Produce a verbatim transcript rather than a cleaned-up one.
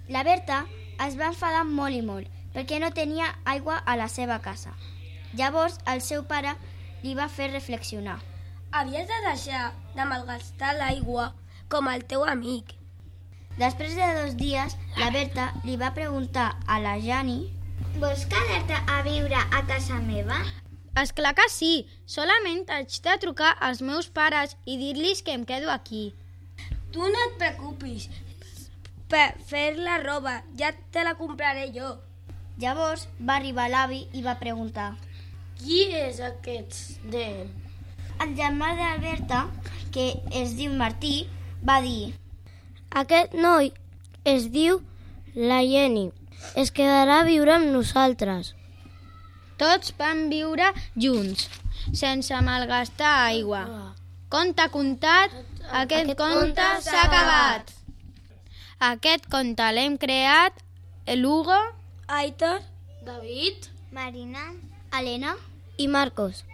La Berta es va enfadar molt i molt perquè no tenia aigua a la seva casa. Llavors el seu pare li va fer reflexionar. Havies de deixar de malgastar l'aigua com el teu amic. Després de dos dies, la Berta li va preguntar a la Jani: Vols quedar-te a viure a casa meva? És clar que sí, solament haig de trucar als meus pares i dir-los que em quedo aquí. Tu no et preocupis per fer la roba, ja te la compraré jo. Llavors va arribar l'avi i va preguntar: Qui és aquest nen? El germà de la Berta, que es diu Martí, va dir: Aquest noi es diu la Jenny. Es quedarà a viure amb nosaltres. Tots van viure junts, sense malgastar aigua. Conte contat, aquest, aquest conte s'ha acabat. Aquest conte l'hem creat l'Hugo, Aitor, David, Marina, Helena I Marcos.